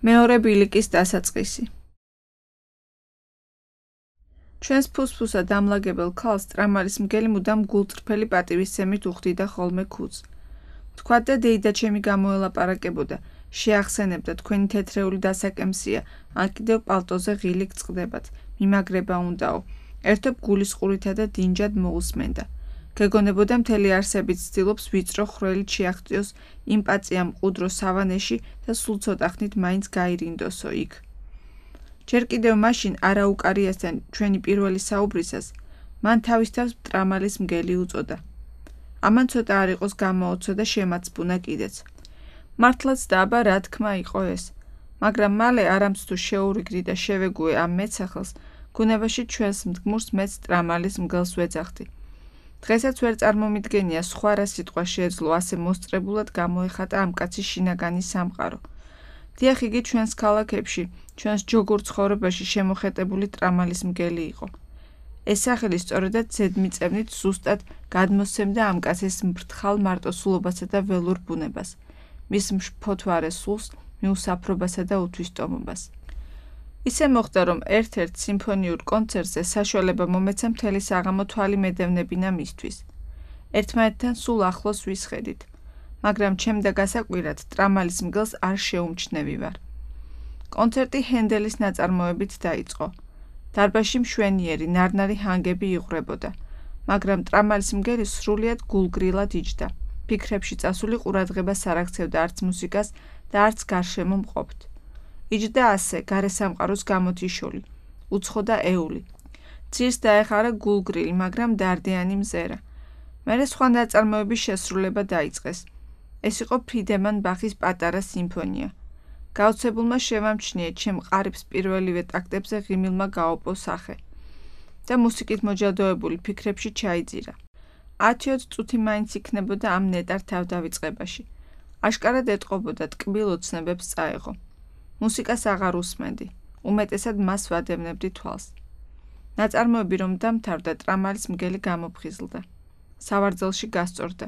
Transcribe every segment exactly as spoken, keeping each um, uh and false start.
მეორე ბილიკის დასაწყისი. ჩვენს ფუსფუსად ამლაგებელ ქალს ტრამალის მგელი მუდამ გულწრფელი პატივისცემით უხდიდა ხოლმე ქუდს. თქვათ და დეიდა ჩემი გამოელაპარაკებოდა, შეახსენებდა თქვენი თეთრეული დასაკემსია, ან კიდევ პალტოზე ღილიქ წყდებათ, მიმაგრება უნდაო, ერთობ გულისყურითა და დინჯად მოусმენდა. გეგონებოდა მთელი არსებით ცდილობს ვიწრო ხრელით შეაღწიოს იმ პაწია მყუდრო სავანეში და სულ ცოტა ხნით მაინც გაირინდოსო იქ. ჯერ კიდევ მაშინ არაუკარიასთან ჩვენი პირველი საუბრისას მან თავის თავს ტრამალის მგელი უწოდა. ამან ცოტა არ იყოს გამოოცო და შემაცბუნა კიდეც. მართლაც და აბა რა თქმა იყო ეს, მაგრამ მალე არამც თუ შეურიგდი და შევეგუე ამ მეცახელს, გუნებაში ჩვენს მდგმურს მეც ტრამალის მგელს ვეძახდი. დღესაც ვერ წარმომიდგენია სხვა რა სიტყვა შეეძლო ასე მოსწრებულად გამოეხატა ამ კაცის შინაგანი სამყარო. დიახ, იგი ჩვენს ქალაქებში, ჩვენს ჯოგურ ცხოვრებაში შემოხეტებული ტრამალის მგელი იყო. ეს სახელი სწორედაც ზედმიწევნით ზუსტად გადმოსცემდა ამ კაცის მფრთხალ მარტოსულობასა და ველურ ბუნებას, მის მშფოთვარე სულს, მიუსაფრობასა და უთვისტომობას. ისე მოხდა, რომ ერთ-ერთ სიმფონიურ კონცერტზე საშუალება მომეცა მთელი საღამო თვალი მედევნებინა მისთვის. ერთმანეთთან სულ ახლოს ვისხედით, მაგრამ ჩემდა გასაკვირად ტრამალის მგელს არ შეუმჩნევი ვარ. კონცერტი ჰენდელის ნაწარმოებით დაიწყო. დარბაზში მშვენიერი, ნარნარი ჰანგები იღვრებოდა, მაგრამ ტრამალის მგელი სრულიად გულგრილად იჯდა. ფიქრებში წასული ყურადღებას არ აქცევდა არც მუსიკას და არც გარშემო მყოფთ. იჯდა ასე, გარე სამყაროს გამოთიშული, უცხო და ეული. ძირს დაეხარა გულგრილი, მაგრამ დარდიანი მზერა. მერე სხვა ნაწარმოების შესრულება დაიწყეს. ეს იყო ფრიდემან ბახის პატარა სიმფონია. გაოცებულმა შევამჩნიე ჩემ ყარიბს პირველივე ტაქტებზე ღიმილმა გაოპო სახე და მუსიკით მოჯადოებული ფიქრებში ჩაიძირა. ათი-ოცი წუთი მაინც იქნებოდა ამ ნეტარ თავდავიწყებაში. აშკარად ეტყობოდა ტკბილ ოცნებებს წაეღო. მუსიკას აღარ უსმენდი, უმეტესად მას ვადევნებდი თვალს. ნაწარმოები რომ დამთავრდა, ტრამალის მგელი გამოფხიზლდა. სავარძელში გასწორდა.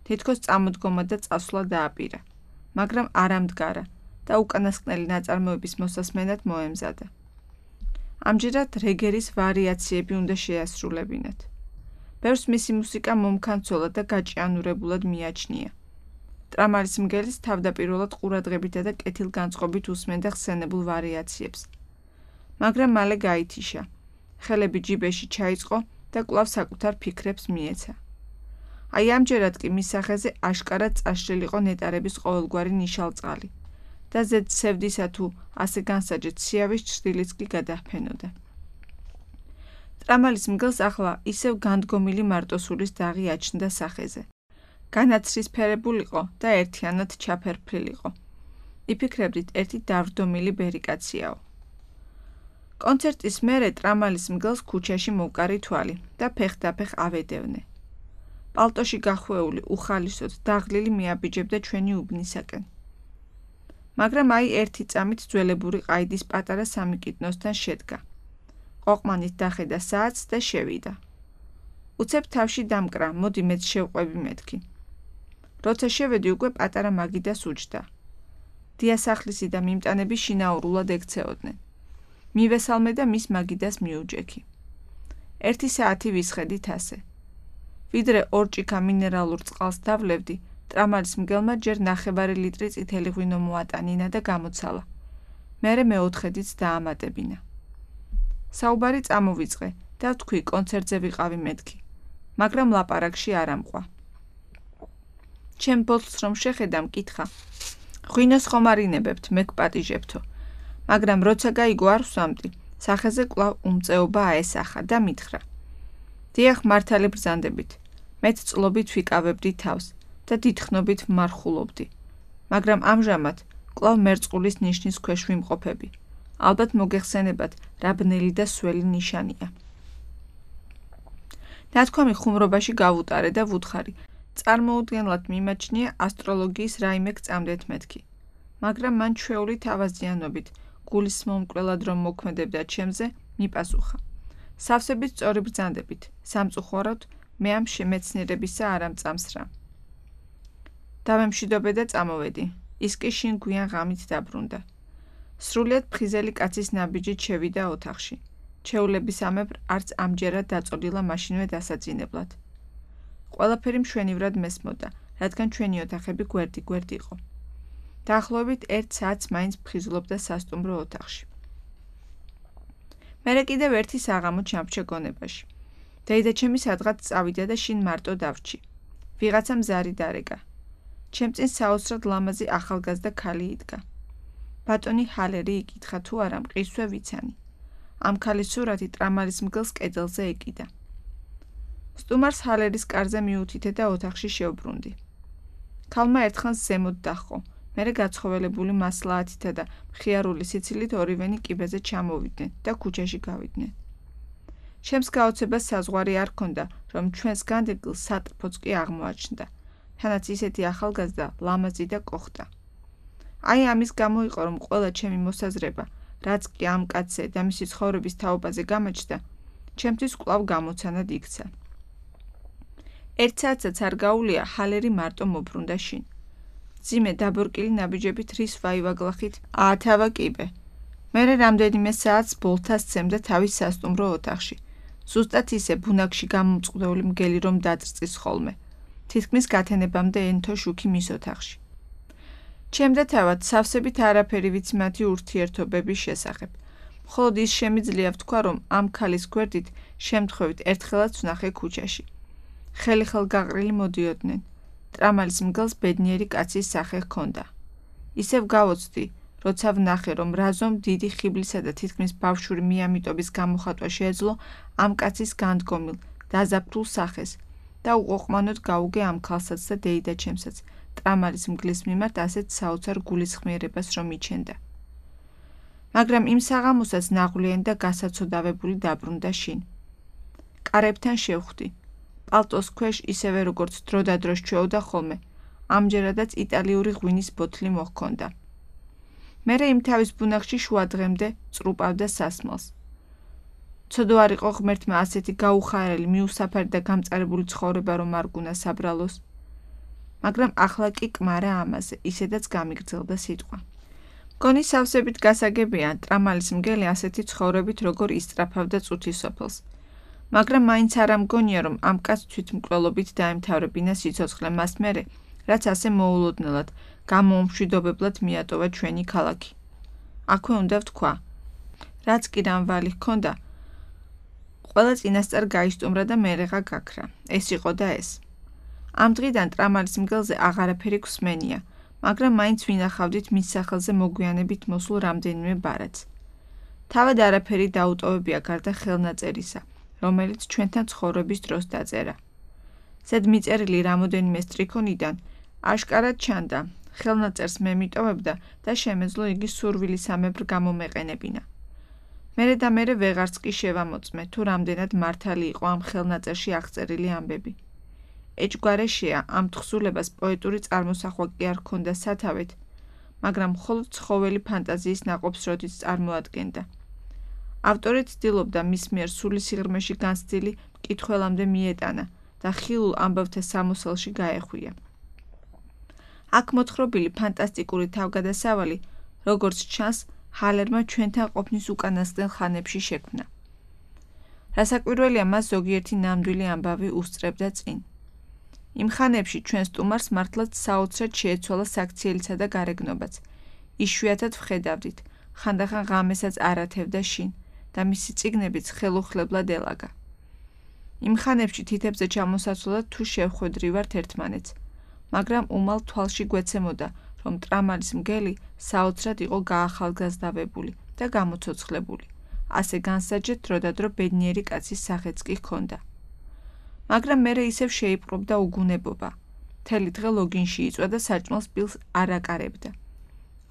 თითქოს წამოდგომა და წასვლა დააპირა, მაგრამ არ ამდგარა და უკანასკნელი ნაწარმოების მოსასმენად მოემზადა. ამჯერად რეგერის ვარიაციები უნდა შეასრულებინათ. ბევრს მისი მუსიკა მომქანცოლა და გაჭიანურებულად მიაჩნია. ტრამალის მგელის თავდაპირველად ყურადღებითა და კეთილგანწყობით უსმენდა ხსენებულ ვარიაციებს. მაგრამ მალე გაითიშა, ხელები ჯიბეში ჩაიწყო და კვლავ საკუთარ ფიქრებს მიეცა. აი ამჯერად კი მის სახეზე აშკარად წაშლილიყო ნეტარების ყოველგვარი ნიშალწყალი და ზედ სევდისა თუ ასე განსაჯეთ სიავის ჩრდილიც კი გადაჰფენოდა. ტრამალის მგელს ახლა ისევ განდგომილი მარტოსულის დაღი აჩნდა სახეზე. განაცრისფერებულიყო და ერთიანად ჩაფერფლილიყო. იფიქრებდით ერთი დავრდომილი ბერიკაციაო. კონცერტის მერე ტრამალის მგელს ქუჩაში მოვკარი თვალი და ფეხდაფეხ ავედევნე. პალტოში გახვეული, უხალისოდ, დაღლილი მიაბიჯებდა ჩვენი უბნისაკენ. მაგრამ აი ერთი წამით ძველებური ყაიდის პატარა სამიკიდნოსთან შედგა. ყოყმანით დახედა საათს და შევიდა. უცებ თავში დამკრა, მოდი მეც შევყვები მეთქი. როცა შევედი, უკვე პატარა მაგიდას უჯდა. დიასახლისი და მიმტანები შინაურულად ექცეოდნენ. მივესალმე და მის მაგიდას მიუჯექი. ერთი საათი ვისხედით ასე. ვიდრე ორ ჭიქა მინერალურ წყალს დავლევდი, ტრამალის მგელმა ჯერ ნახევარი ლიტრი წითელი ღვინო მოატანინა და გამოცალა. მერე მეოთხედიც დაამატებინა. საუბარი წამოვიწყე და ვთქვი კონცერტზე ვიყავი მეთქი, მაგრამ ლაპარაკში არ ამყვა. ჩემ ბოთლს რომ შეხედა, მკითხა. ღვინოს ხომ არ ინებებთ, მე გპატიჟებთო, მაგრამ როცა გაიგო არ ვსვამდი, სახეზე კვლავ უმწეობა აესახა და მითხრა. დიახ, მართალი ბრძანდებით, მეც წლობით ვიკავებდი თავს და დიდხნობით ვმარხულობდი, მაგრამ ამჟამად კვლავ მერწყულის ნიშნის ქვეშ ვიმყოფები. ალბათ მოგეხსენებათ, რა ბნელი და სველი ნიშანია. ნათქვამი ხუმრობაში გავუტარე და ვუთხარი, წარმოუდგენლად მიმაჩნია ასტროლოგიის რაიმე გწამდეთ მეთქი, მაგრამ მან ჩვეული თავაზიანობით, გულის მომკვლელად რომ მოქმედებდა ჩემზე, მიპასუხა. სავსებით სწორი ბრძანდებით, სამწუხაროდ მე ამ შემეცნიერებისა არ ამწამსრა. დავემშვიდობე და წამოვედი, ის კი შინ გვიან ღამით დაბრუნდა. სრულიად ფხიზელი კაცის ნაბიჯით შევიდა ოთახში. ჩვეულებისამებრ არც ამჯერად დაწოლილა მაშინვე დასაძინებლად. ყველაფერი მშვენივრად მესმოდა, რადგან ჩვენი ოთახები გვერდი-გვერდ იყო. დაახლოებით ერთ საათს მაინც ფხიზლობდა სასტუმრო ოთახში. მერე კიდევ ერთი საღამო ჩამრჩა გონებაში. დეიდაჩემი სადღაც წავიდა და შინ მარტო დავრჩი. ვიღაცამ ზარი დარეკა. ჩემ წინ საოცრად ლამაზი ახალგაზრდა ქალი იდგა. ბატონი ჰალერი იკითხა თუ არა მყისვე ვიცანი. ამ ქალის სურათი ტრამალის მგელს კედელზე ეკიდა. სტუმარს ჰალერის კარზე მიუთითე და ოთახში შევბრუნდი. ქალმა ერთხანს ზემოთ დაჰყო, მერე გაცხოველებული მასლაათითა და მხიარული სიცილით ორივენი კიბეზე ჩამოვიდნენ და ქუჩაში გავიდნენ. ჩემს გაოცებას საზღვარი არ ჰქონდა, რომ ჩვენს განდეგილს სატრფოც კი აღმოაჩნდა, თანაც ისეთი ახალგაზრდა, ლამაზი და კოხტა. აი ამის გამო იყო, რომ ყველა ჩემი მოსაზრება, რაც კი ამ კაცზე და მისი ცხოვრების თაობაზე გამაჩნდა, ჩემთვის კვლავ გამოცანად იქცა. ერთ საათსაც არ გაუვლია, ჰალერი მარტო მობრუნდა შინ. მძიმე დაბორკილი ნაბიჯებით რის ვაივაგლახით აათავა კიბე. მერე რამდენიმე საათს ბოლთას სცემდა თავის სასტუმრო ოთახში. ზუსტად ისე ბუნაგში გამომწყდეული მგელი რომ დაძრწის ხოლმე. თითქმის გათენებამდე ენთო შუქი მის ოთახში. ჩემ და თავად სავსებით არაფერი ვიცი მათი ურთიერთობების შესახებ. მხოლოდ ის შემიძლია ვთქვა, რომ ამ ქალის გვერდით შემთხვევით ერთხელაც ვნახე ქუჩაში. ხელი-ხელ გაყრილი მოდიოდნენ. ტრამალის მგელს ბედნიერი კაცის სახე ჰქონდა. ისევ გავოცდი, როცა ვნახე, რომ რაზომ დიდი ხიბლისა და თითქმის ბავშვური მიამიტობის გამოხატვა შეეძლო ამ კაცის განდგომილ, დაზაფრულ სახეს და უყოყმანოდ გაუგე ამ ქალსაც და დეიდაჩემსაც, ტრამალის მგლის მიმართ ასეთ საოცარ გულისხმიერებას რომ იჩენდა. მაგრამ იმ საღამოსაც ნაღვლიანი და გასაცოდავებული დაბრუნდა შინ. კარებთან შევხვდი. პალტოს ქვეშ ისევე როგორც დროდადრო სჩვეოდა ხოლმე, ამჯერადაც იტალიური ღვინის ბოთლი მოჰქონდა. მერე იმ თავის ბუნაგში შუა დღემდე წრუპავდა სასმელს. ცოდო არ იყო ღმერთმა ასეთი გაუხარელი, მიუსაფარი და გამწარებული ცხოვრება რომ არ გუნა საბრალოს. მაგრამ ახლა კი კმარა ამაზე, ისედაც გამიგრძელდა სიტყვა. მგონი სავსებით გასაგებია, ტრამალის მგელი ასეთი ცხოვრებით როგორ ისწრაფავდა წუთის სოფელს. მაგრამ მაინც არ ამგონია, რომ ამ კაცს თვითმკვლელობით დაემთავრებინა სიცოცხლე მას მერე, რაც ასე მოულოდნელად, გამოუმშვიდობებლად მიატოვა ჩვენი ქალაქი. აქვე უნდა ვთქვა, რაც კი რამვალი ჰქონდა, ყველა წინასწარ გაისტუმრა და მერეღა გაქრა. ეს იყო და ეს. ამ დღიდან ტრამალის მგელზე აღარაფერი გვსმენია, მაგრამ მაინც ვინახავდით მის სახელზე მოგვიანებით მოსულ რამდენიმე ბარათს. თავად არაფერი დაუტოვებია გარდა ხელნაწერისა, რომელიც ჩვენთან ცხოვრების დროს დაწერა. ზედ მიწერილი რამოდენიმე სტრიქონიდან აშკარად ჩანდა, ხელნაწერს მე მიტოვებდა და შემეძლო იგი სურვილისამებრ გამომეყენებინა. მერე და მერე ვეღარც კი შევამოწმე, თუ რამდენად მართალი იყო ამ ხელნაწერში აღწერილი ამბები. ეჭგვარეშეა ამ თხზულებას პოეტური წარმოსახვა კი არ ჰქონდა სათავეთ, მაგრამ მხოლოდ ცხოველი ფანტაზიის ნაყოფს როდიც წარმოადგენდა. ავტორი ცდილობდა მის მიერ სულისიღრმეში განცდილი მკითხველამდე მიეტანა და ხილულ ამბავთა სამოსელში გაეხვია. აქ მოთხრობილი ფანტასტიკური თავგადასავალი, როგორც ჩანს, ჰალერმა ჩვენთან ყოფნის უკანასკნელ ხანებში შექმნა. რასაკვირველია, მას ზოგიერთი ნამდვილი ამბავი უსწრებდა წინ. იმ ხანებში ჩვენ სტუმარს მართლაც საოცრად შეეცვალა საქციელისა და გარეგნობაც. იშვიათად ვხედავდით, ხანდახან ღამესაც არათევდა შინ და მისი წიგნებიც ხელუხლებლად ელაგა. იმ ხანებში თითებზე ჩამოსაცვლად თუ შევხვედრივართ ერთმანეთს, მაგრამ უმალ თვალში გვეცემოდა, რომ ტრამალის მგელი საოცრად იყო გაახალგაზრდავებული და გამოცოცხლებული. ასე განსაჯეთ დროდადრო ბედნიერი კაცის სახეც კი ჰქონდა. მაგრამ მერე ისევ შეიპყრობდა უგუნებობა. მთელი დღე ლოგინში იწვა და საჭმელს პილს არ აკარებდა.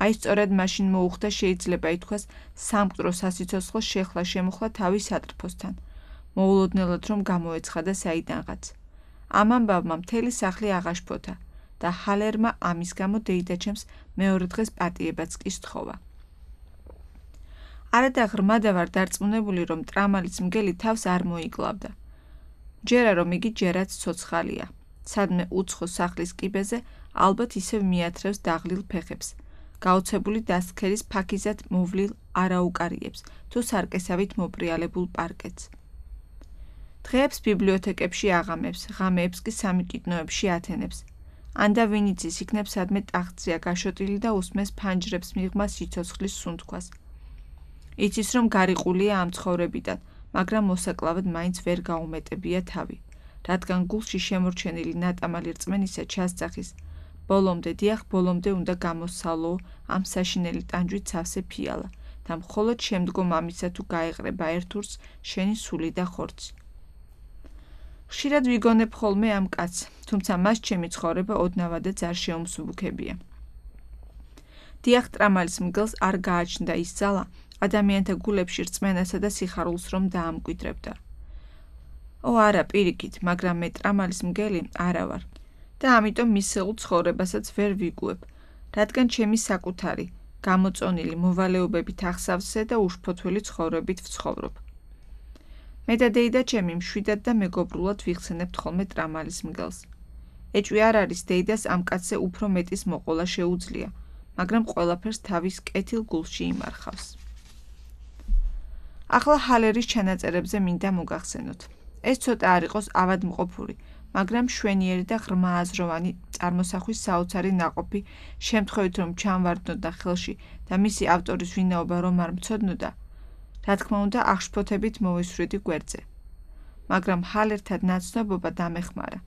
აი სწორედ მაშინ მოუხდა შეიძლება ითქვას სამკვდრო სასიცოცხლო შეხლა შემოხლა თავის სატრფოსთან, მოულოდნელად რომ გამოეცხადა საიდანღაც. ამ ამბავმა მთელი სახლი აღაშფოთა და ჰალერმა ამის გამო დეიდაჩემს მეორე დღეს პატიებაც კი სთხოვა. არადა ღრმადა ვარ დარწმუნებული, რომ ტრამალის მგელი თავს არ მოიკლავდა. ჯერა რომ იგი ჯერაც ცოცხალია. სადმე უცხო სახლის კიბეზე ალბათ ისევ მიათრევს დაღლილ ფეხებს. გაოცებული დასქერის ფაქიზად მოვლილ არაუკარიებს თუ სარკესავით მოპრიალებულ პარკეტს. დღეებს ბიბლიოთეკებში აღამებს, ღამეებს კი სამიკიტნოებში ათენებს. ანდა ვინ იცის იქნებ სადმე ტახტზეა გაშოტილი და უსმეს ფანჯრებს მიღმა სიცოცხლის სუნთქვას. იცის რომ გარიყულია ამ ცხოვრებიდან, მაგრამ მოსაკლავად მაინც ვერ გაუმეტებია თავი, რადგან გულში შემორჩენილი ნატამალი რწმენისა ჩასწახის. ბოლომდე დიახ, ბოლომდე უნდა გამოსცალო ამ საშინელი ტანჯვით სავსე ფიალა და მხოლოდ შემდგომ ამისა თუ გაეყრება ერთურს შენი სული და ხორცი. ხშირად ვიგონებ ხოლმე ამ კაცს, თუმცა მას ჩემი ცხოვრება ოდნავადაც არ შეუმსუბუქებია. დიახ, ტრამალის მგელს არ გააჩნდა ის ძალა, ადამიანთა გულებში რწმენასა და სიხარულს რომ დაამკვიდრებდა. ო არა, პირიქით, მაგრამ მე ტრამალის მგელი არა ვარ და ამიტომ მისეულ ცხოვრებასაც ვერ ვიგუებ, რადგან ჩემი საკუთარი, გამოწონილი მოვალეობებით ახსავსე და უშფოთველი ცხოვრებით ვცხოვრობ. მე და დეიდა ჩემი მშვიდად და მეგობრულად ვიხსენებთ ხოლმე ტრამალის მგელს. ეჭვი არ არის დეიდას ამ კაცზე უფრო მეტის მოყოლა შეუძლია, მაგრამ ყველაფერს თავის კეთილ გულში იმარხავს. ახლა ჰალერის ჩანაწერებზე მინდა მოგახსენოთ. ეს ცოტა არ იყოს ავადმყოფური, მაგრამ შვენიერი და ღრმააზროვანი წარმოსახვის საოცარი ნაყოფი, შემთხვევით რომ ჩამვარდნოდა ხელში და მისი ავტორის ვინაობა რომ არ მცოდნოდა, რა თქმა უნდა აღშფოთებით მოვისვრიდი გვერდზე. მაგრამ ჰალერთან ნაცნობობა დამეხმარა.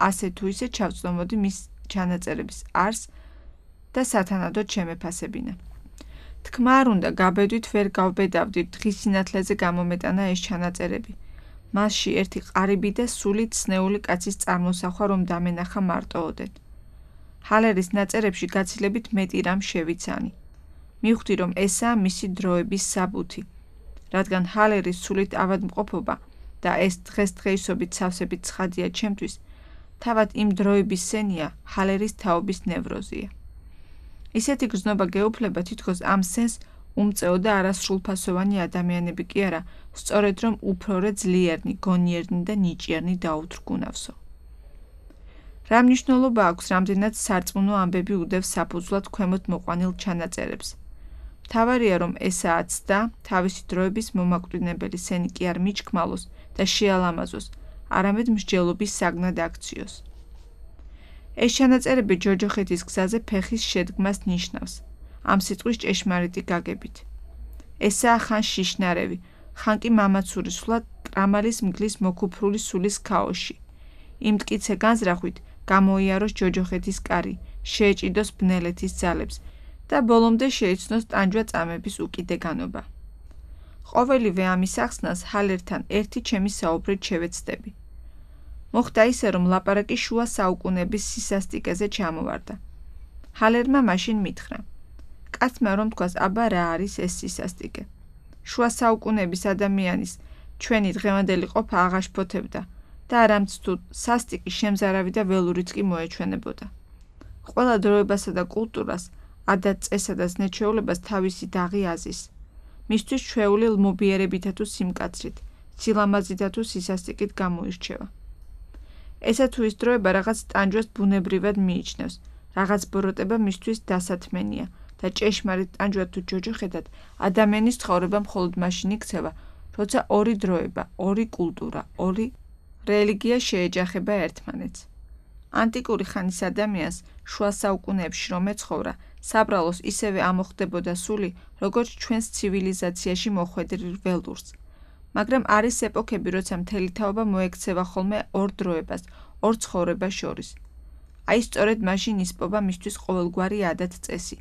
ასე თუ ისე ჩავწდომოდი მის ჩანაწერების არსს და სათანადოდ შემეფასებინა. თქმა არ უნდა, გაბედვით ვერ გავბედავდი დღის სინათლეზე გამომეტანა ეს ჩანაწერები. მასში ერთი ყარიბი და სულით სნეული კაცის წარმოსახვა რომ დამენახა მარტოოდენ. ჰალერის ნაწერებში გაცილებით მეტი რამ შევიცანი. მივხვდი რომ ესაა მისი დროების საბუთი, რადგან ჰალერის სულით ავადმყოფობა და ეს დღესდღეისობით სავსებით ცხადია ჩემთვის, თავად იმ დროების სენია ჰალერის თაობის ნევროზია. ისეთი გრძნობა გეუფლება თითქოს ამ სენს უმწეო და არასრულფასოვანი ადამიანები კი არა, სწორედ რომ უფრორე ძლიერნი, გონიერნი და ნიჭიერნი დაუთრგუნავსო. რა მნიშვნელობა აქვს რამდენად სარწმუნო ამბები უდევს საფუძვლად ქვემოთ მოყვანილ ჩანაწერებს. მთავარია რომ ესაა ცდა თავისი დროების მომაკვდინებელი სენი კი არ მიჩქმალოს და შეალამაზოს, არამედ მსჯელობის საგნად აქციოს. ეს ჩანაწერები ჯოჯოხეთის გზაზე ფეხის შედგმას ნიშნავს, ამ სიტყვის ჭეშმარიტი გაგებით. ესაა ხან შიშნარევი, ხან კი მამაცური სულა ტრამალის მგლის მოკუფრული სულის ქაოში. იმ მტკიცე განზრახვით გამოიაროს ჯოჯოხეთის კარი, შეეჭიდოს ბნელეთის ძალებს და ბოლომდე შეიცნოს ტანჯვა წამების უკიდეგანობა. ყოველივე ამის ახსნას ჰალერთან ერთი ჩემი საუბრით შევეცდები. მოხდა ისე, რომ ლაპარაკი შუა საუკუნეების სისასტიკეზე ჩამოვარდა. ჰალერმა მაშინ მითხრა: კაცმა რომ თქვას, აბა რა არის ეს სისასტიკე? შუა საუკუნეების ადამიანის ჩვენი დღევანდელი ყოფა აღაშფოთებდა და არამც თუ სასტიკი შემზარავი და ველურიც კი მოეჩვენებოდა. ყველა დროებასა და კულტურას, ადათ-წესა და ზნეჩვეულებას თავისი დაღი აზის. მისთვის ჩვეული ლმობიერებითა თუ სიმკაცრით, სილამაზითა თუ სისასტიკით გამოირჩევა. ესა თუ ის დროება რაღაც ტანჯვას ბუნებრივად მიიჩნევს, რაღაც ბოროტება მისთვის დასათმენია და ჭეშმარიტ ტანჯვა თუ ჯოჯოხეთად ადამიანის ცხოვრება მხოლოდ მაშინ იქცევა, როცა ორი დროება, ორი კულტურა, ორი რელიგია შეეჯახება ერთმანეთს. ანტიკური ხანის ადამიანს შუა საუკუნეებში რომ ეცხოვრა, საბრალოს ისევე ამოხდებოდა სული, როგორც ჩვენს ცივილიზაციაში მოხვედრილ ველურს. მაგრამ არის ეპოქები, როცა მთელი თაობა მოექცევა ხოლმე ორ დროებას, ორ ცხოვრებას შორის. აი სწორედ მაშინ ისპობა მისთვის ყოველგვარი ადათ-წესი.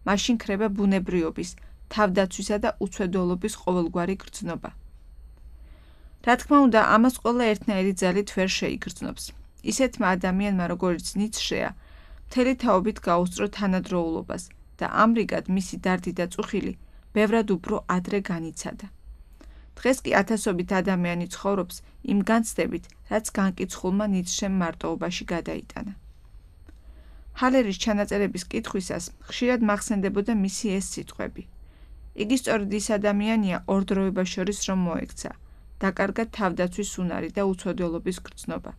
მაშინ ქრება ბუნებრიობის, თავდაცვისა და უცვედოლობის ყოველგვარი გრძნობა. რა თქმა უნდა, ამას ყველა ერთნაირი ძალით ვერ შეიგრძნობს. ისეთმა ადამიანმა, როგორც ნიცშეა, მთელი თაობით გაუსწრო თანადროულობას და ამრიგად მისი დარდი და წუხილი ბევრად უფრო ადრე განიცადა. დღეს კი ათასობით ადამიანი ცხოვრობს იმ განცდებით, რაც განკიცხულმა ნიცშემ მარტოობაში გადაიტანა. ჰალერის ჩანაწერების კითხვისას ხშირად მახსენდებოდა მისი ეს სიტყვები. იგი სწორედ ის ადამიანია ორ დროებას შორის რომ მოექცა, დაკარგა თავდაცვის უნარი და უცოდოლობის გრძნობა.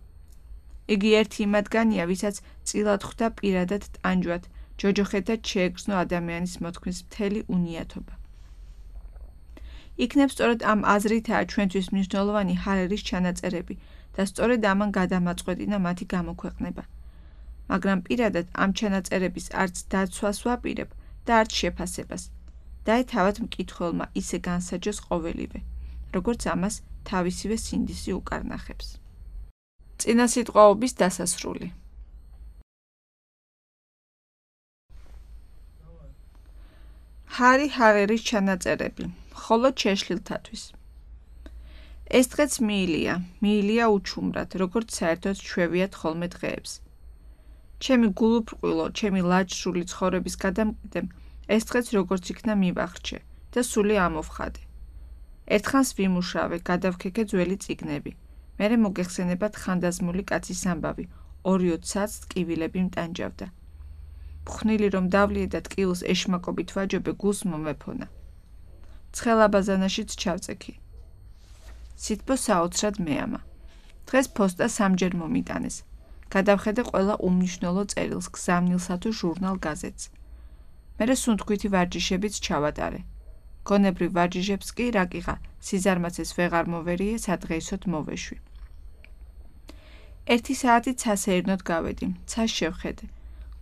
იგი ერთი იმათგანია, ვისაც წილად ხვდა პირადად ტანჯვად, ჯოჯოხეთად შეეგრძნო ადამიანის მოთქმის მთელი უნიათობა. იქნებ სწორედ ამ აზრითაა ჩვენთვის მნიშვნელოვანი ჰარერის ჩანაწერები და სწორედ ამან გადამაწყვეტინა მათი გამოქვეყნება. მაგრამ პირადად ამ ჩანაწერების არც დაცვას ვაპირებ და არც შეფასებას. დაეთავათ მკითხველმა ისე განსაჯოს ყოველივე, როგორც ამას თავისივე სინდისი უკარნახებს. წინასიტყვაობის დასასრული. ჰარი ჰარერის ჩანაწერები, მხოლოდ შეშლილთათვის. ეს დღეც მიილია, მიილია უჩუმრად, როგორც საერთოდ ჩვევიათ ხოლმე დღეებს. ჩემი გულუბრყვილო, ჩემი ლაჯსრული ცხოვრების გადამყიდემ ეს დღეც როგორც იქნა მივახრჩე და სული ამოვხადე. ერთხანს ვიმუშავე, გადავქეკე ძველი წიგნები. მერე მოგეხსენებათ ხანდაზმული კაცის ამბავი, ორიო ცაც ტკივილები მტანჯავდა. მხვნილი რომ დავლიე და ტკივილს ეშმაკობით ვაჯობე, გულს მომეფონა. ცხელაბაზანაშიც ჩავწექი. სითბო საოცრად მეამა. დღეს ფოსტა სამჯერ მომიტანეს. გადავხედე ყველა უმნიშვნელო წერილს, გზავნილსა თუ ჟურნალ გაზეთს. მერე სუნთქვითი ვარჯიშებიც ჩავატარე. გონებრივ ვარჯიშებს კი რაკიღა, სიზარმაცეს ვეღარ მოვერიე, სადღეისოდ მოვეშვი. ერთი საათი ცასეირნოდ გავედი, ცას შევხედე.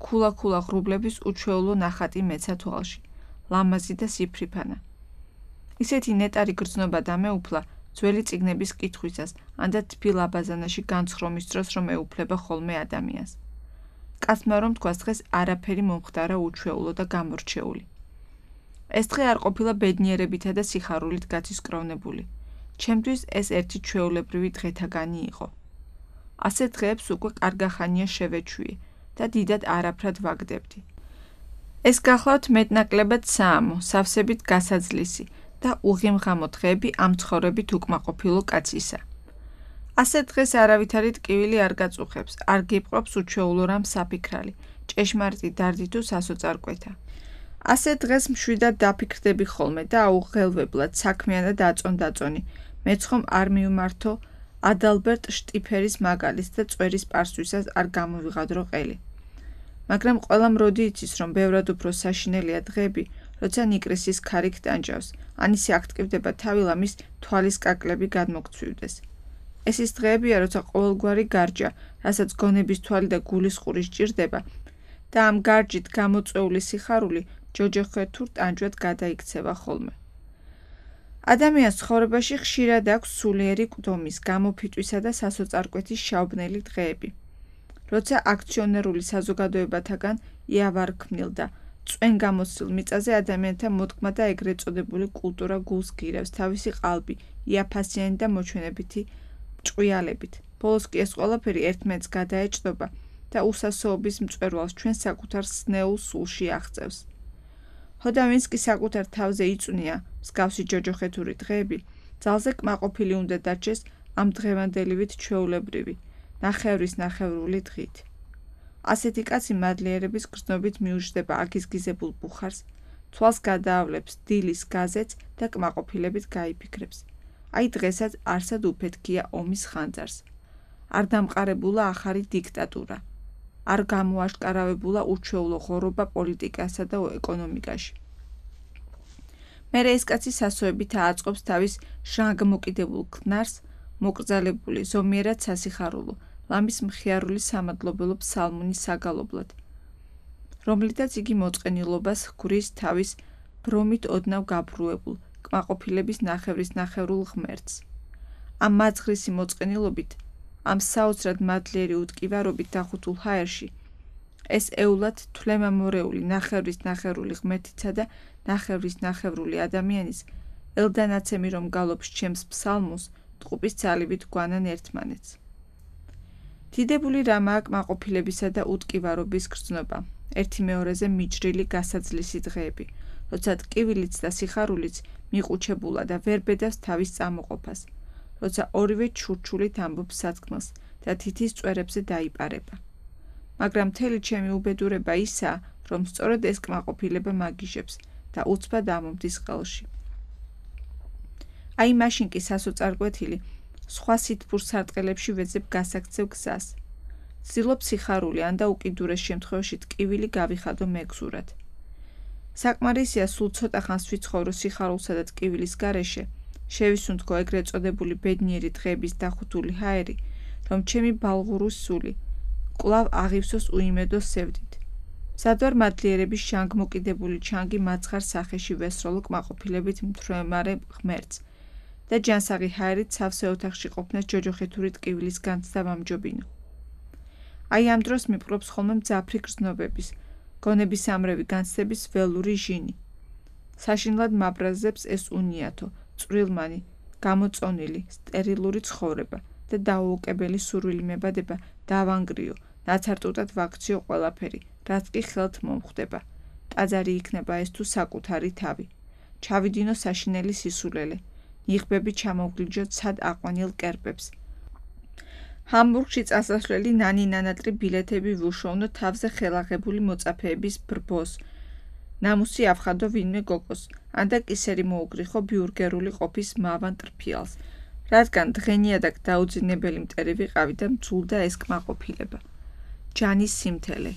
ქულა-ქულა ღრუბლების უჩვეულო ნახატი მეცა თვალში, ლამაზი და სიფრიფანა. ისეთი ნეტარი გრძნობა დამეუფლა, ძველი წიგნების კითხვისას, ანდა თბილ აბაზანაში განცხრომის დროს რომ ეუფლება ხოლმე ადამიანს. კაცმა რომ თქვას დღეს არაფერი მომხდარა უჩვეულო და გამორჩეული. ეს დღე არ ყოფილა ბედნიერებითა და სიხარულით გაცისკროვნებული. ჩემთვის ეს ერთი ჩვეულებრივი დღეთაგანი იყო. ასე დღეებს უკვე კარგახანია შევეჩვიე და დიდად არაფრად ვაგდებდი. ეს გახლავთ მეტნაკლებად საამო, სავსებით გასაძლისი და უღიმღამო დღეები ამ ცხოვრებით უკმაყოფილო კაცისა. ასე დღეს არავითარი ტკივილი არ გაწუხებს, არ გიპყრობს უჩვეულო რამ საფიქრალი, ჭეშმარიტი დარდი თუ სასოწარკვეთა. ასე დღეს მშვიდად დაფიქრდები ხოლმე და აუღელვებლად საქმიანად აწონ-დაწონი, მეც ხომ არ მივმართო ადალბერტ შტიფერის მაგალითს და წვერის პარსვისას არ გამოვიღადრო ყელი. მაგრამ ყველამ როდი იცის, რომ ბევრად უფრო საშინელია დღეები, როცა ნიკრისის ქარი გტანჯავს, ან ისე აქტივდება თავი ლამის თვალის კაკლები გადმოგცვივდეს. ეს ის დღეებია, როცა ყოველგვარი გარჯა, რასაც გონების თვალი და გულის ყური სჭირდება და ამ გარჯით გამოწვეული სიხარული ჯოჯოხეთ თუ ტანჯვად გადაიქცევა ხოლმე. ადამიანს ცხოვრებაში ხშირად აქვს სულიერი კვდომის, გამოფიტვისა და სასოწარკვეთის შავბნელი დღეები. როცა აქციონერული საზოგადოებათაგან იავარქმნილ და წვენ გამოსილ მიწაზე ადამიანთა მოდგმა და ეგრეთ წოდებული კულტურა გულს გირევს თავისი ყალბი, იაფასიანი და მოჩვენებითი ჭყვიალებით. ბოლოს კი ეს ყველაფერი ერთმანეთს გადაეჭდობა და უსასოობის მწვერვალს ჩვენ საკუთარ სნეულ სულში აღწევს. ხოდა ვინც კი საკუთარ თავზე იწვნია მსგავსი ჯოჯოხეთური დღეები, ძალზე კმაყოფილი უნდა დარჩეს ამ დღევანდელივით ჩვეულებრივი, ნახევრის ნახევრული დღით. ასეთი კაცი მადლიერების გრძნობით მიუждდება აგიზგიზებულ ბუხარს, თვალს გადაავლებს დილის გაზეთს და კმაყოფილებით გაიფიქრებს. აი დღესაც არსად უფეთქია ომის ხანძარს. არ დამყარებულა ახალი დიქტატურა. არ გამოაშკარავებულა უჩვეულო ღორობა პოლიტიკასა და ეკონომიკაში. მერე ეს კაცი სასოებით აწყობს თავის ჟანგმოკიდებულ ქნარს, მოკრძალებული, ზომიერად სასიხარულო, ლამის მხიარული სამადლობელო ფსალმუნის საგალობლად, რომლითაც იგი მოწყენილობას ჰგვრის თავის ბრომით ოდნავ გაბრუებულ, კმაყოფილების ნახევრის ნახევრულ ღმერთს. ამ მაძღრისი მოწყენილობით, ამ საოცრად მადლიერი უტკივარობით დახუთულ ჰაერში, ეს ეულად თვლემამორეული ნახევრის ნახევრული ღმერთიცა და ნახევრის ნახევრული ადამიანის, ელდანაცემი რომ გალობს ჩემს ფსალმუნს, ტყუპის ძალივით გვანან ერთმანეთს. დიდებული რამაა კმაყოფილებისა და უტკივარობის გრძნობა, ერთი მეორეზე მიჯრილი გასაძლისი დღეები, როცა ტკივილიც და სიხარულიც მიყუჩებულა და ვერ ბედავს თავის წამოყოფას, როცა ორივე ჩურჩულით ამბობს სათქმელს და თითის წვერებზე დაიპარება. მაგრამ მთელი ჩემი უბედურება ისაა, რომ სწორედ ეს კმაყოფილება მაგიჟებს და უცბად ამომდის ყელში. აი მაშინ კი სასოწარკვეთილი სხვა სითბურ სარტყელებში ვეძებ გასაქცევ გზას. ვცდილობ სიხარული ან და უკიდურეს შემთხვევაში ტკივილი გავიხადო მეგზურად. საკმარისია სულ ცოტა ხანს ვიცხოვრო სიხარულსა და ტკივილის გარეშე, შევისუნთქო ეგრეთ წოდებული ბედნიერი დღეების დახუთული ჰაერი, რომ ჩემი ბალღურის სული კვლავ აღივსოს უიმედო სევდით. მზადვარ მადლიერების ჟანგმოკიდებული ჩანგი მაცხარ სახეში ვესროლო კმაყოფილებით მთვრემარე ღმერთს და ჯანსაღი ჰაერით სავსე ოთახში ყოფნა ჯოჯოხეთური ტკივილის განცდა ვამჯობინო. აი ამ დროს მიპყრობს ხოლმე მძაფრი გრძნობების, გონებისამრევი განცდების ველური ჟინი. საშინლად მაბრაზებს ეს უნიათო, წვრილმანი, გამოწონილი, სტერილური ცხოვრება და დაუოკებელი სურვილი მებადება დავანგრიო, ნაცარტუტად ვაქციო ყველაფერი, რაც კი ხელთ მომხვდება. ტაძარი იქნება ეს თუ საკუთარი თავი. ჩავიდინო საშინელი სისულელე, ნიღბები ჩამოვგლიჯოთ სად აყვანილ კერპებს. ჰამბურგში წასასვლელი ნანი-ნანატრი ბილეთები ვუშოვნო თავზე ხელაღებული მოწაფეების ბრბოს. ნამუსი ავხადო ვინმე გოგოს, ანდა კისერი მოუგრიხო ბიურგერული ყოფის მავან ტრფიალს, რადგან დღენიადაგ დაუძინებელი მტერი ვიყავი და მძულდა ეს კმაყოფილება. ჯანის სიმთელე,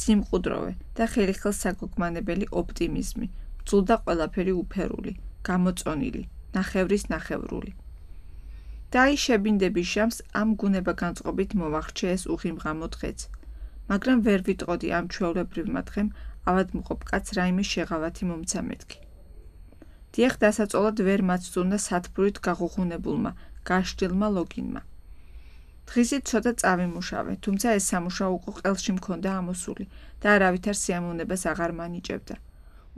სიმყუდროვე და ხელიხელს საგოგმანებელი ოპტიმიზმი, მძულდა ყველაფერი უფერული, გამოწონილი, ნახევრის ნახევრული. და აი შებინდები შამს ამ გუნება-განწყობით მოვახრჩე ეს უღიმღამო დღეც, მაგრამ ვერ ვიტყოდი ამ ჩვეულებრივმა დღემ ავადმყოფ კაცს რაიმე შეღავათი მომცა მეთქი. დიახ, დასაწოლად ვერ მაცდუნა სათბურით გაღუღუნებულმა, გაშტილმა ლოგინმა. დღისით ცოტა წავიმუშავე, თუმცა ეს სამუშაო უკვე ყელში მქონდა ამოსული და არავითარ სიამოვნებას აღარ მანიჭებდა.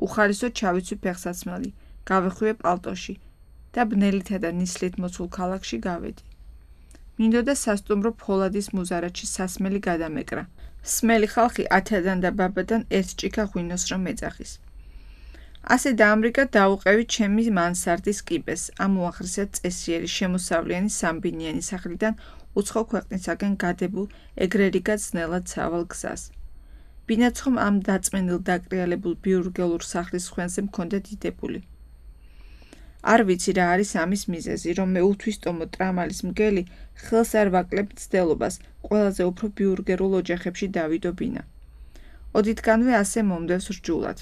უხარისოდ ჩავიცვი ფეხსაცმელი, გავეხვიე პალტოში და ბნელითა და ნისლით მოცულ ქალაქში გავედი. მინდოდა სასტუმრო ფოლადის მუზარადში სასმელი გადამეკრა. სმელი ხალხი ათიდან და ბაბადან ერთ ჭიქა ღვინოს რომ ეძახის. ასე დაამრიგა დაუყევი ჩემი მანსარდის კიბეს, ამ უაღრესად წესიერი შემოსავლიანი სამბინიანი სახლიდან უცხო ქვეყნისაგან გადებულ ეგრერიგად ძნელად სავალ გზას. ბინაცხომ ამ დაწმენილ დაკრიალებულ ბიურგელურ სახლის ხვენზე მქონდა დიდებული. არ ვიცი რა არის ამის მიზეზი, რომ მე უთვისტომო ტრამალის მგელი ხელს არ ვაკლებ მცდელობას ყველაზე უფრო ბიურგერულ ოჯახებში დავიდობინა. ოდითგანვე ასე მომდევს რჯულად.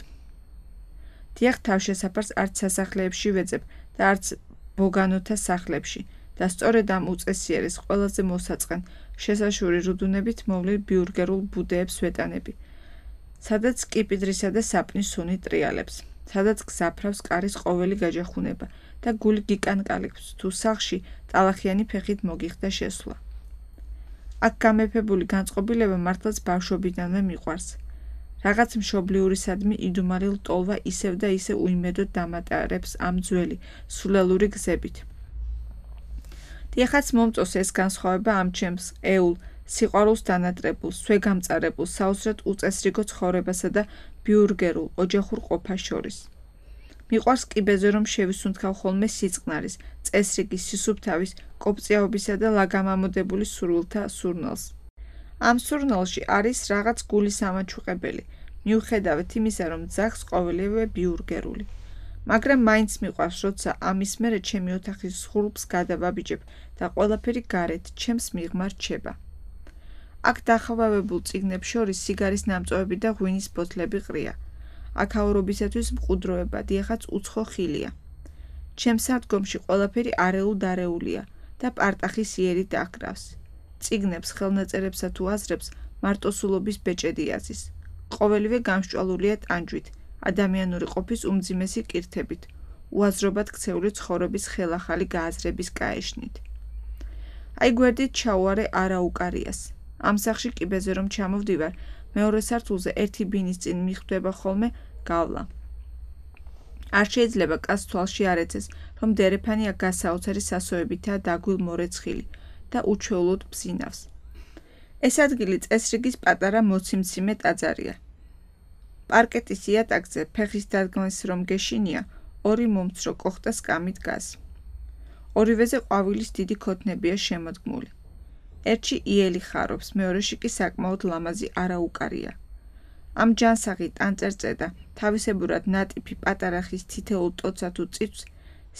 დიახ, თავშესაფარს არც სასახლეებში ვეძებ და არც ბოგანოთა სახლებში და სწორედ ამ უწესიერეს ყველაზე მოსაწყენ შესაშური რუდუნებით მოვლილ ბიურგერულ ბუდეებს ვეტანები, სადაც კიპიდრისა და საპნის სუნი ტრიალებს, სადაც გზაფრავს კარის ყოველი გაჯახუნება და გული გიკანკალებს თუ სახლში ტალახიანი ფეხით მოგიხდა შესვლა. აქ გამეფებული განწყობილება მართლაც ბავშვობიდანვე მიყვარს. რაღაც მშობლიურისადმი იდუმალი ლტოლვა ისევ და ისე უიმედოდ დამატარებს ამ ძველი, სულელური გზებით. დიახაც მომწონს ეს განსხვავება ამ ჩემს ეულ, სიყვარულს დანატრებულ, სვეგამწარებულ, საოცრად უწესრიგო ცხოვრებასა და ბიურგერულ, ოჯახურ ყოფას შორის. მიყვარს კიბეზე რომ შევისუნთქავ ხოლმე სიწყნარის, წესრიგის, სისუფთავის, კოპწიაობისა და ლაგამამოდებული სურვილთა სურნელს. ამ სურნელში არის რაღაც გულის ამაჩუყებელი, მიუხედავად იმისა, რომ ძაღს ყოველივე ბიურგერული. მაგრამ მაინც მიყვარს, როცა ამის მერე ჩემი ოთახის სხულფს გადავაბიჯებ და ყველაფერი გარეთ ჩემს მიღმა რჩება. აქ დახვავებულ წიგნებს შორის სიგარის ნამწვევები და ღვინის ბოთლები ყრია. აქაურობისათვის მყუდროება, დიახაც უცხო ხილია. ჩემს სადგომში ყველაფერი არეულ-დარეულია და პარტახის იერით აკრავს. წიგნებს, ხელნაწერებსა თუ აზრებს მარტოსულობის ბეჭედი აზის. ყოველივე გამსჭვალულია ტანჯვით, ადამიანური ყოფის უმძიმესი კირთებით, უაზრობად ქცეული ცხოვრების ხელახალი გააზრების გაეშნით. აი გვერდით ჩაუარე არაუკარიას. ამ სახში კიბეზე რომ ჩამოვდივარ, მეორე სართულზე ერთი ბინის წინ მიხვდება ხოლმე გავლა. არ შეიძლება კაცს თვალში არ ეცეს, რომ დერეფანი აქ გასაოცარი სასოებითაა დაგვილ მორეცხილი და უჩვეულოდ ბზინავს. ეს ადგილი წესრიგის პატარა მოციმციმე ტაძარია. პარკეტის იატაკზე ფეხის დადგმას რომ გეშინია, ორი მომცრო კოხტა სკამი დგას. ორივეზე ყვავილის დიდი ქოთნებია შემოდგმული. ერთში იელი ხარობს, მეორეში კი საკმაოდ ლამაზი არაუკარია. ამ ჯანსაღი ტანწერწედა თავისებურად ნატიფი პატარა ხის თითეულ ტოცა თუ წიწვს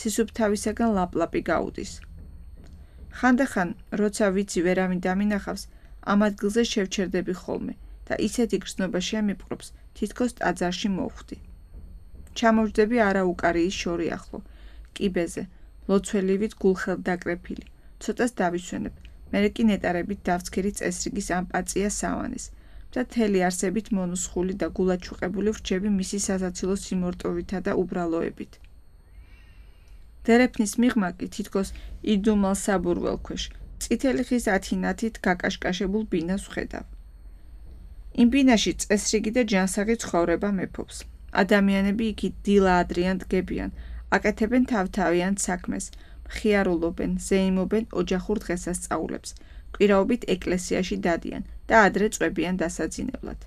სისუფთავისაგან ლაპლაპი გაუდის. ხანდახან, როცა ვიცი ვერავინ დამინახავს, ამ ადგილზე შევჩერდები ხოლმე და ისეთი გრძნობა შემიპყრობს, თითქოს ტაძარში მოვხვდი. ჩამოვჯდები არაუკარიის შორი ახლო, კიბეზე, ლოცველივით გულხელთ დაკრეფილი, ცოტას დავისვენებ, მერე კი ნეტარებით დავცქერი წესრიგის ამ პაწია სავანეს და თელი არსებით მონუსხული და გულაჩუყებული ვრჩები მისი სასაცილო სიმორტოვითა და უბრალოებით. დერეფნის მიღმა კი თითქოს იდუმალ საბურველ ქვეშ, წითელი ხის ათინათით გაკაშკაშებულ ბინას ვხედავ. იმ ბინაში წესრიგი და ჯანსაღი ცხოვრება მეფობს. ადამიანები იქით დილა ადრიან დგებიან, აკეთებენ თავთავიან საქმეს, მხიარულობენ, ზეიმობენ ოჯახურ დღესასწაულებს, კვირაობით ეკლესიაში დადიან და ადრე წვებიან დასაძინებლად.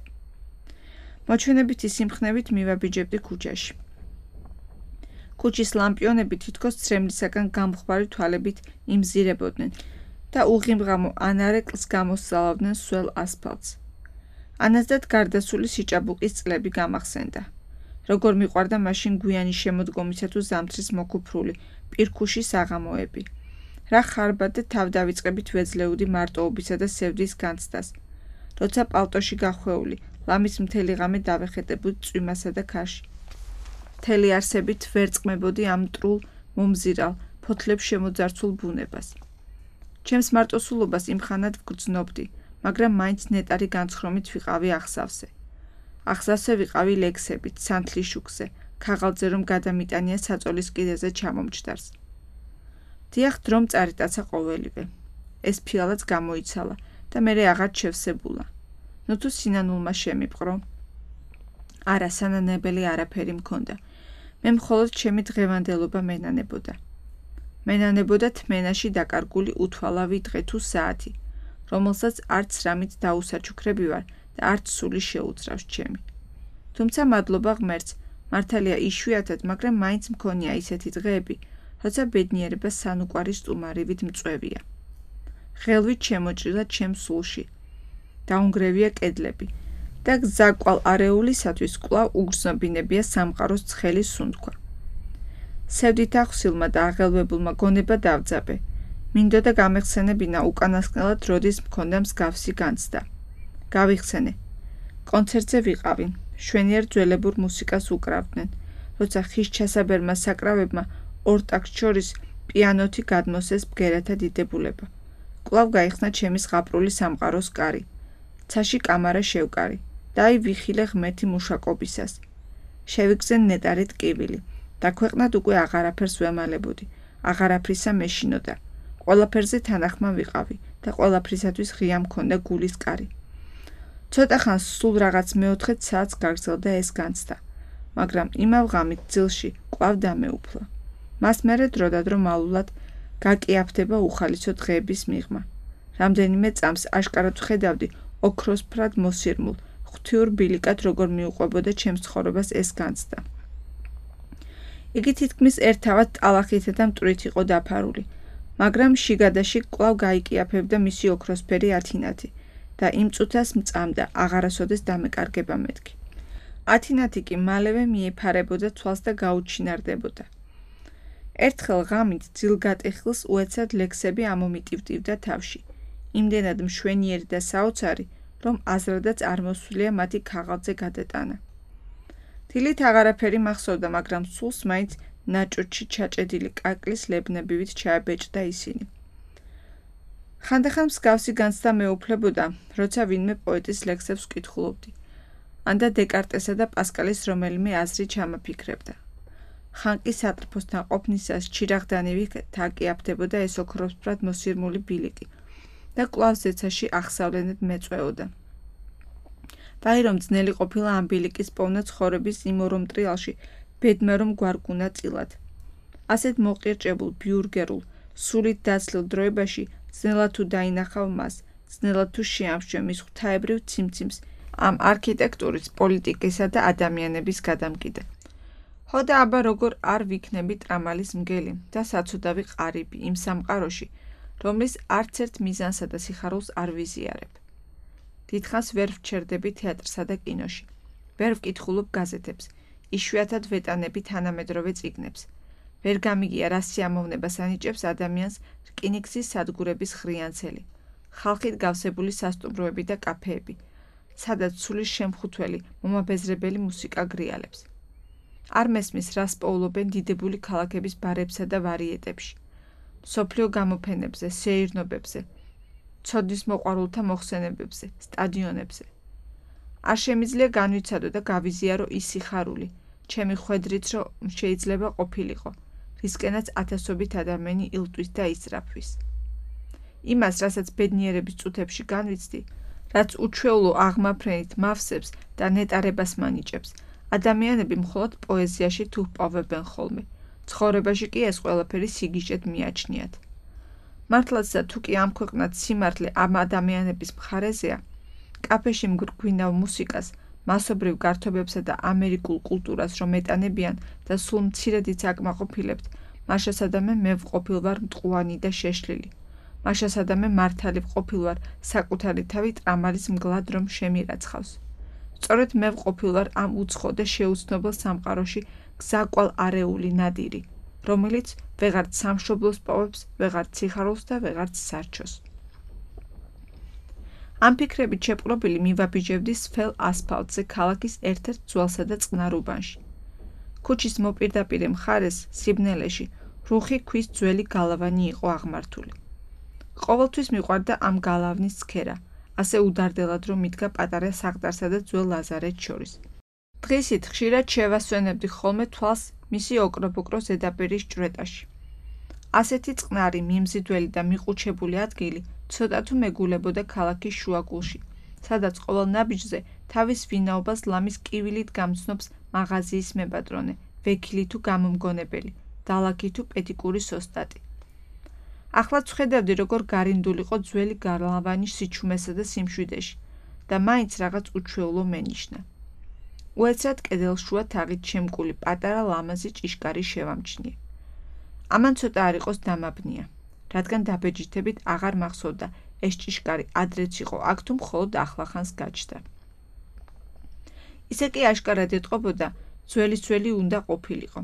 მოჩვენებითი სიმხნევით მივაბიჯებდი ქუჩაში. ქუჩის ლამპიონები თითქოს ცრემლისაგან გამხვარი თვალებით იმზირებოდნენ და უღიმღამო ანარეკლს გამოსწალავდნენ სველ ასფალტს. ანაზდად გარდასული სიჭაბუკის წლები გამახსენდა. როგორ მიყვარდა მაშინ გვიანი შემოდგომისა თუ ზამთრის მოკუფრული, პირქუში საღამოები. რა ხარბად და თავდავიწყებით ვეძლეოდი მარტოობისა და სევდის განცდას. როცა პალტოში გახვეული, ლამის მთელი ღამე დავეხეტებოდი წვიმასა და ქარში. მთელი არსებით ვერ წყმებოდი ამ მტრულ, მომზირალ, ფოთლებს შემოძარცულ ბუნებას. ჩემს მარტოსულობას იმხანად ვგრძნობდი, მაგრამ მაინც ნეტარი განცხრომით ვიყავი აღსავსე. აღსავსე ვიყავი ლექსებით, სანთლის შუქზე, ქაღალდზე რომ გადამიტანია საწოლის კიდეზე ჩამომჯდარს. დიახ, დრომ წარიტაცა ყოველივე. ეს ფიალაც გამოიცალა და მერე აღარ შევსებულა. ნუ თუ სინანულმა შემიპყრო. არა, სანანებელი არაფერი მქონდა. მე მხოლოდ ჩემი დღევანდელობა მენანებოდა. მენანებოდა თმენაში დაკარგული უთვალავი დღე თუ საათი, რომელსაც არც რამით დაუსაჩუქრები ვარ და არც სული შეუძრავს ჩემი. თუმცა მადლობა ღმერთს, მართალია იშვიათად, მაგრამ მაინც მქონია ისეთი დღეები, როცა ბედნიერება სანუკვარი სტუმარივით მწვევია. ღელვით შემოჭრილა ჩემს სულში. დაუნგრევია კედლები და გზაკვალ არეულისათვის კვლავ უგრძნობინებია სამყაროს ცხელი სუნთქვა. სევდით ახსილმა და აღელვებულმა გონება დავძაბე. მინდოდა გამეხსენებინა უკანასკნელად როდის მქონდა მსგავსი განცდა. გავიხსენე. კონცერტზე ვიყავი, შვენიერ ძველებურ მუსიკას უკრავდნენ, როცა ხის ჩასაბერმა საკრავებმა ორ ტაქტს შორის პიანოთი გადმოსეს ბგერათა დიდებულება. კვლავ გაიხსნა ჩემი ზღაპრული სამყაროს კარი. ცაში კამარა შევკარი და აი ვიხილე ღმერთი მუშაკობისას. შევიგზე ნეტარი ტკივილი. დაქვეყნად უკვე აღარაფერს ვემალებოდი, აღარაფრისა მეშინოდა. ყველაფერზე თანახმა ვიყავი და ყველაფრისათვის ღია მქონდა გულის კარი. ცოტა ხანს სულ რაღაც მეოთხე საათს გაგრძელდა ეს განცდა, მაგრამ იმავ ღამით ძილში კვლავ დამეუფლა. მას მერე დროდადრო მალულად გაკიაფდება უხალისო დღეების მიღმა. რამდენიმე წამს აშკარად ვხედავდი ოქროსფრად მოსირმულ, ღვთიურ ბილიკად როგორ მიუყვებოდა ჩემს ცხოვრებას ეს განცდა. იგი თითქმის ერთავად ტალახითა და მტვრით იყო დაფარული, მაგრამ შიგადაში კვლავ გაიკიაფებდა მისი ოქროსფერი ათინათი და იმ წუთას მწამდა აღარასოდეს დამეკარგება მეთქი. ათინათი კი მალევე მიეფარებოდა თვალს და გაუჩინარდებოდა. ერთხელ ღამით ძილგატეხილს უეცად ლექსები ამომიტივტივდა თავში, იმდენად მშვენიერი და საოცარი, რომ აზრადაც არ მოსვლია მათი ქაღალდზე გადატანა. დილით აღარაფერი მახსოვდა, მაგრამ სულს მაინც ნაჭუჭი ჩაჭედილი კაკლის ლებნებივით ჩააბეჭდა ისინი. ხანდახან მსგავსი განცდა მეუფლებოდა, როცა ვინმე პოეტის ლექსებს ვკითხულობდი, ანდა დეკარტესა და პასკალის რომელიმე აზრი ჩამაფიქრებდა. ხან კი სატრფოსთან ყოფნისას ჩირაღდანივით აკიაფდებოდა ეს ოქროსფრად მოსირმული ბილიკი და კვლავ ზეცაში აღსავლენად მეწვეოდა. ვაი რომ ძნელი ყოფილა ამ ბილიკის პოვნა ცხოვრების იმ ორომტრიალში, ბედმა რომ გვარკუნა წილად. ასეთ მოყირჭებულ, ბიურგერულ, სულით დაცლილ დროებაში ძნელად თუ დაინახავ მას, ძნელად თუ შეამშვე მის ღვთაებრივ ციმციმს ამ არქიტექტურის, პოლიტიკისა და ადამიანების გადამკიდე. ხო და აბა როგორ არ ვიქნები ტრამალის მგელი და საცუდავი ყარიბი იმ სამყაროში, რომლის არც ერთ მიზანსა და სიხარულს არ ვიზიარებ. დიდხანს ვერ ვჩერდები თეატრსა და კინოში, ვერ ვკითხულობ გაზეთებს, იშვიათად ვეტანები თანამედროვე წიგნებს. ვერ გამიგია რა სიამოვნებას ანიჭებს ადამიანს რკინიგზის სადგურების ხრიანცელი, ხალხით გავსებული სასტუმროები და კაფეები, სადაც სულის შემხუთველი, მომაბეზრებელი მუსიკა გრიალებს. არ მესმის, რას პოულობენ დიდებული ქალაქების ბარებსა და ვარიეტებში, მსოფლიო გამოფენებზე, სეირნობებზე, ცოდნის მოყვარულთა მოხსენებებზე, სტადიონებზე. არ შემიძლია განვიცადო და გავიზიარო ის სიხარული, ჩემი ხვედრით, რომ შეიძლება ყოფილიყო, რისკენაც ათასობით ადამიანი ილტვის და ისწრაფვის. იმას, რასაც ბედნიერების წუთებში განვიცდი, რაც უჩვეულო აღმაფრენით მავსებს და ნეტარებას მანიჭებს, ადამიანები მხოლოდ პოეზიაში თუ ჰპოვებენ ხოლმე, ცხოვრებაში კი ეს ყველაფერი სიგიჟეთ მიაჩნიათ. მართლაცდა თუ კი ამ ქვეყნად სიმართლე ამ ადამიანების მხარეზეა, კაფეში მგრგვინავ მუსიკას, მასობრივ გართობებსა და ამერიკულ კულტურას რომ ეტანებიან და სულ მცირედიც აკმაყოფილებთ, მაშასადამე მე ვყოფილვარ მტყუანი და შეშლილი. მაშასადამე მართალი ვყოფილვარ საკუთარი თავი ტრამალის მგლად რომ შემირაცხავს. სწორედ მე ვყოფილვარ ამ უცხო და შეუცნობელ სამყაროში გზაკვალ არეული ნადირი, რომელიც ვეღარც სამშობლოს პოვებს, ვეღარც სიხარულს და ვეღარც სარჩოს. ამ ფიქრებით შეპყრობილი მივაბიჯებდი სფელ ასფალტზე ქალაქის ერთ-ერთ ძველსა და წყნარ უბანში. ქუჩის მოპირდაპირე მხარეს, სიბნელეში, რუხი ქვის ძველი გალავანი იყო აღმართული. ყოველთვის მიყვარდა ამ გალავნის ცქერა, ასე უდარდელად რომ მიდგა პატარა საყდარსა და ძველ ლაზარეთს შორის. დღისით ხშირად შევასვენებდი ხოლმე თვალს მისი ოქრობოკრო ზედაპირის ჭვრეტაში. ასეთი წყნარი, მიმზიდველი და მიყუჩებული ადგილი ცოტა თუ მეგულებოდა ქალაქის შუაგულში, სადაც ყოველ ნაბიჯზე თავის ვინაობას ლამის კივილით გამცნობს მაღაზიის მებატრონე, ვექილი თუ გამომგონებელი, დალაქი თუ პედიკურის ოსტატი. ახლა ვხედავდი, როგორ გარინდულიყო ძველი გალავანი სიჩუმესა და სიმშვიდეში და მაინც რაღაც უჩვეულო მენიშნა. უეცრად კედელშუა თაღით შემკული პატარა ლამაზი ჭიშკარი შევამჩნიე. ამან ცოტა არ იყოს დამაბნია, რადგან დაბეჯითებით აღარ მახსოვდა ეს ჭიშკარი ადრეც იყო აქ თუ მხოლოდ ახლახანს გაჩნდა. ისე კი აშკარად ეტყობოდა, ძველი-ძველი უნდა ყოფილიყო.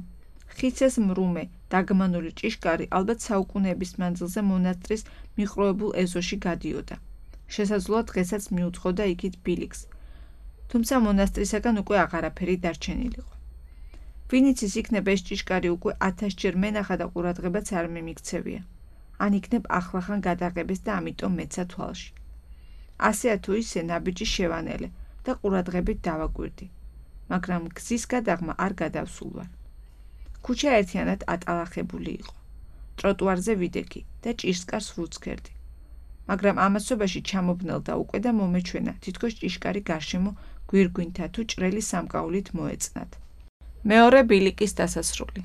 ხის ეს მრუმე, დაგმანული ჭიშკარი ალბათ საუკუნეების მანძილზე მონასტრის მიყრუებულ ეზოში გადიოდა. შესაძლოა დღესაც მიუძღოდა იქით ბილიქს, თუმცა მონასტრისაგან უკვე აღარაფერი დარჩენილიყო. ვინც ის იქნება ეს ჭიშკარი უკვე ათასჯერ მენახა და ყურადღებაც არ მიმიქცევია. ან იქნებ ახლახან გადაღებეს და ამიტომ მეცა თვალში. ასეა თუ ისე ნაბიჯი შევანელე და ყურადღებით დავაგვირდი, მაგრამ გზის გადაღმა არ გადავსულ ვარ. ქუჩა ერთიანად ატალახებული იყო. ტროტუარზე ვიდექი და ჭიშკარს ვუცქერდი. მაგრამ ამასობაში ჩამობნელდა უკვე და მომეჩვენა თითქოს ჭიშკარი გარშემო გვირგვინთა თუ ჭრელი სამკაულით მოეწნათ. მეორე ბილიკის დასასრული.